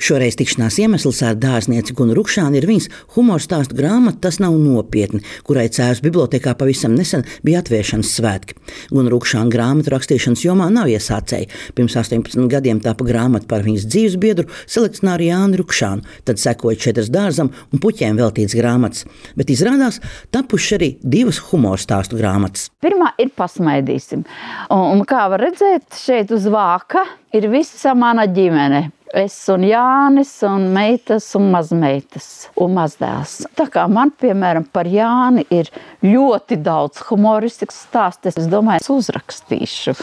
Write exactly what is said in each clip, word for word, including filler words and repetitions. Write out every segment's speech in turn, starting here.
Šoreiz tikšanās iemesls ar dārznieci Gunu Rukšānu ir viņas humora stāstu grāmata Tas nav nopietni, kurai Cēzus bibliotēkā pavisam nesen bija atvēršanas svētki. Gunu Rukšāna grāmatu rakstīšanas jomā nav iesācēji. Pirms astoņpadsmit gadiem tapa grāmata par viņas dzīves biedru selekcionāru Jāni Rukšānu, tad sekoja četras dārzam un puķēm veltītas grāmatas. Bet izrādās tapuši arī divas humora stāstu grāmatas. Pirmā ir Pasmaidīsim. Un, un kā var redzēt, šeit uz vāka ir visa mana ģimene. Es un Jānis un meitas un mazmeitas un mazdēls. Tā kā man, piemēram, par Jāni ir ļoti daudz humoristisks stāsts, es domāju, es uzrakstīšu.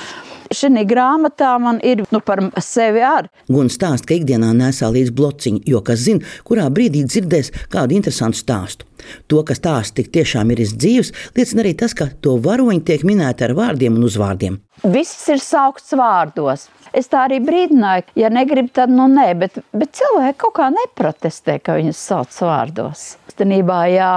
Šī grāmatā man ir nu, par sevi ar. Guna stāsta, ka ikdienā nesā līdz blociņu, jo kas zina, kurā brīdī dzirdēs kādu interesantu stāstu. To, ka stāsts tik tiešām ir izdzīvs, liecina arī tas, ka to varoņi tiek minēti ar vārdiem un uzvārdiem. Viss ir saukts vārdos. Es tā arī brīdināju, ja negrib, tad nu nē, bet, bet cilvēki kaut kā neprotestē, ka viņus sauc vārdos. Īstenībā, ja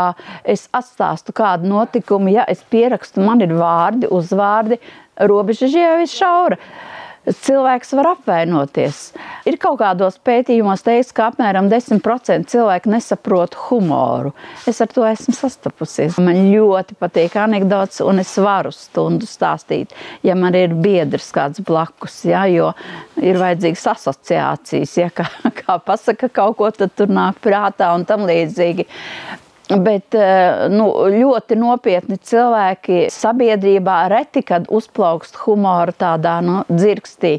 es atstāstu kādu notikumu, ja es pierakstu, man ir vārdi, uzvārdi, robeža jau ir šaura. Cilvēks var apvainoties. Ir kaut kādos pētījumos teiks, ka apmēram desmit procenti cilvēku nesaprot humoru. Es ar to esmu sastapusies. Man ļoti patīk anekdots, un es varu stundu stāstīt, ja man ir biedrs kāds blakus, ja, jo ir vajadzīgas asociācijas, ja, kā, kā pasaka kaut ko, tad tur nāk prātā un tam līdzīgi. Bet nu, ļoti nopietni cilvēki sabiedrībā reti, kad uzplaukst humoru tādā nu, dzirkstī.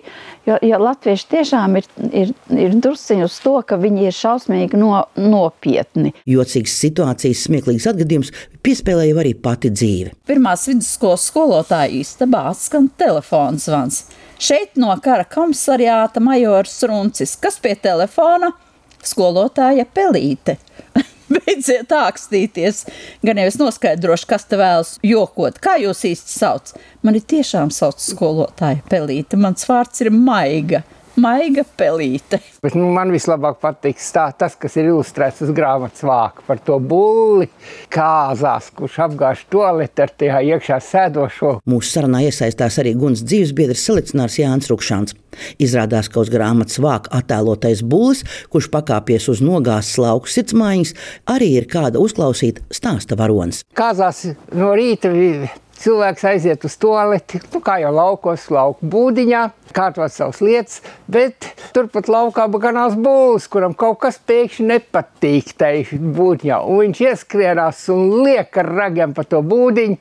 Jo, jo latvieši tiešām ir, ir, ir drusciņi uz to, ka viņi ir šausmīgi no, nopietni. Jocīgas situācijas, smieklīgas atgadījums piespēlēja arī pati dzīve. Pirmās vidusskolas skolotāja istabā atskan telefons zvans. Šeit no kara komisariāta majors Runcis, kas pie telefona skolotāja Pelīte. Beidziet ākstīties, gan jau es noskaidrošu, kas te vēlas jokot. Kā jūs īsti sauc? Mani tiešām sauc skolotāja Pelīte. Mans vārds ir Maiga. Maiga Pelīte. Bet, nu, man vislabāk patīk stāt, tas, kas ir ilustrēts uz grāmatas vāka par to bulli kāzās, kurš apgāž toaleti ar tajā iekšā sēdošo. Mūsu sarunā iesaistās arī Gunas dzīvesbiedrs selekcionārs Jānis Rukšāns. Izrādās, ka uz grāmatas vāka attēlotais bullis, kurš pakāpies uz nogāzes lauku sirdsmaiņas, arī ir kāda uzklausīta stāsta varonis. Kāzās no rīta cilvēks aiziet uz toaleti, nu, kā jau laukos, lauku būdiņā, kārtot savas lietas, bet turpat laukā ganās bullis, kuram kaut kas pēkšņi nepatīk tai būdiņā. Un viņš ieskrienās un liek ar ragiem pa to būdiņu.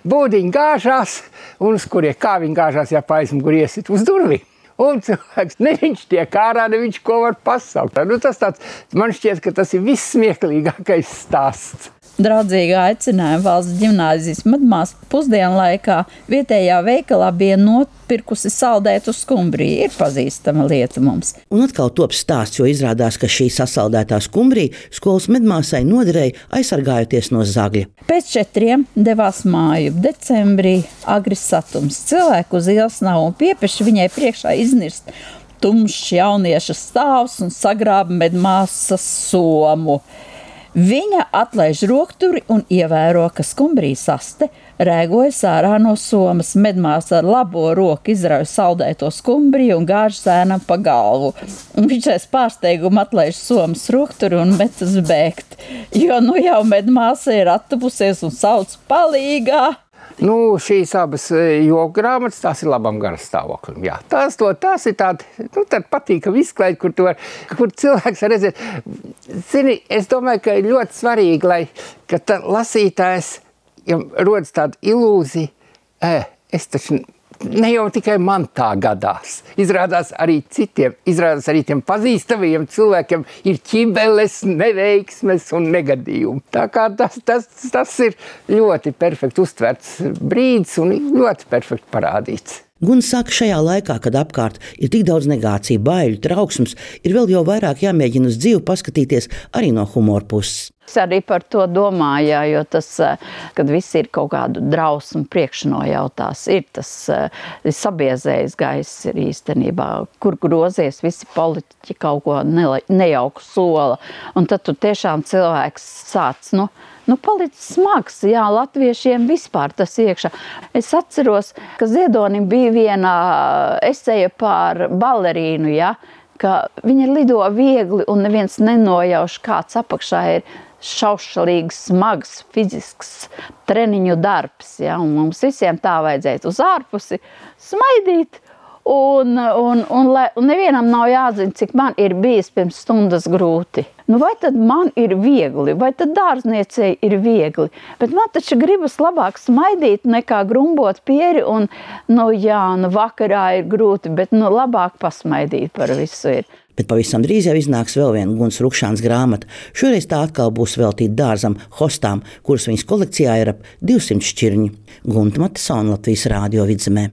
Būdiņu gāžās, un uz kurie kā viņi gāžās, ja pa aizmugur iesit uz durvīm. Un cilvēks, ne viņš tiek ārā, ne viņš ko var pasaukt. Nu, tas tāds, man šķiet, ka tas ir vissmieklīgākais stāsts. Draudzīgi aicinājumi Valsts ģimnāzijas medmās pusdienu laikā vietējā veikalā bija nopirkusi saldētu skumbriju. Ir pazīstama lieta mums. Un atkal top stāsts, jo izrādās, ka šī sasaldētā skumbrija skolas medmāsai noderēja aizsargājoties no zagļa. Pēc četriem devās māju. Decembrī agri satums. Cilvēku uz ielas nav un piepeši viņai priekšā iznirst tumšs jaunieša stāvs un sagrāba medmāsas somu. Viņa atlaiž rokturi un ievēro, ka skumbrijas aste rēgojas ārā no somas. Medmāsa ar labo roku izrauj saldēto skumbriju un gāž zēnam pa galvu. Un viņš aiz pārsteigumu atlaiž somas rokturi un metas bēgt, jo nu jau medmāsa ir attupusies un sauc palīgā. Nu, šīs abas joku grāmatas, tās ir labam garastāvoklim. Jā, tās, to, tās ir tādi, nu, tādi patīkami izklaidi, kur, var, kur cilvēks var redzēt. Zini, es domāju, ka ir ļoti svarīgi, lai, ka tā lasītājs, ja rodas tāda ilūzija, eh, es taču ne jau tikai man tā gadās. Izrādās arī citiem, izrādās arī tiem pazīstamiem cilvēkiem ir ķibeles, neveiksmes un negadījumi. Tā kā tas, tas, tas ir ļoti perfekti uztverts brīdis un ļoti perfekti parādīts. Guna saka, šajā laikā, kad apkārt ir tik daudz negāciju, baiļu, trauksmes, ir vēl jau vairāk jāmēģina uz dzīvi paskatīties arī no humora puses. Es arī par to domāju, jā, jo tas, kad visi ir kaut kādu drausmu priekšnojautās, ir tas ir sabiezējis gaiss ir īstenībā, kur grozies visi politiķi kaut ko nejauku sola. Un tad tu tiešām cilvēks sāc, nu, Nu, palicis smags, jā, latviešiem vispār tas iekšā. Es atceros, ka Ziedonim bija viena eseja par balerīnu, jā, ka viņi lido viegli un neviens nenojauš, kāds apakšā ir šaušalīgs, smags, fizisks treniņu darbs. Ja? Un mums visiem tā vajadzētu uz ārpusi smaidīt. Un, un, un, lai, un nevienam nav jāzina, cik man ir bijis pirms stundas grūti. Nu, vai tad man ir viegli, vai tad dārzniecei ir viegli? Bet man taču gribas labāk smaidīt nekā grumbot pieri un, nu jā, nu vakarā ir grūti, bet nu labāk pasmaidīt par visu ir. Bet pavisam drīz jau iznāks vēl viena Gunas Rukšānas grāmata. Šoreiz tā atkal būs veltīta dārzam, hostām, kuras viņas kolekcijā ir ap divsimt šķirņi. Gunta Matisona, Latvijas Rādio Vidzemē.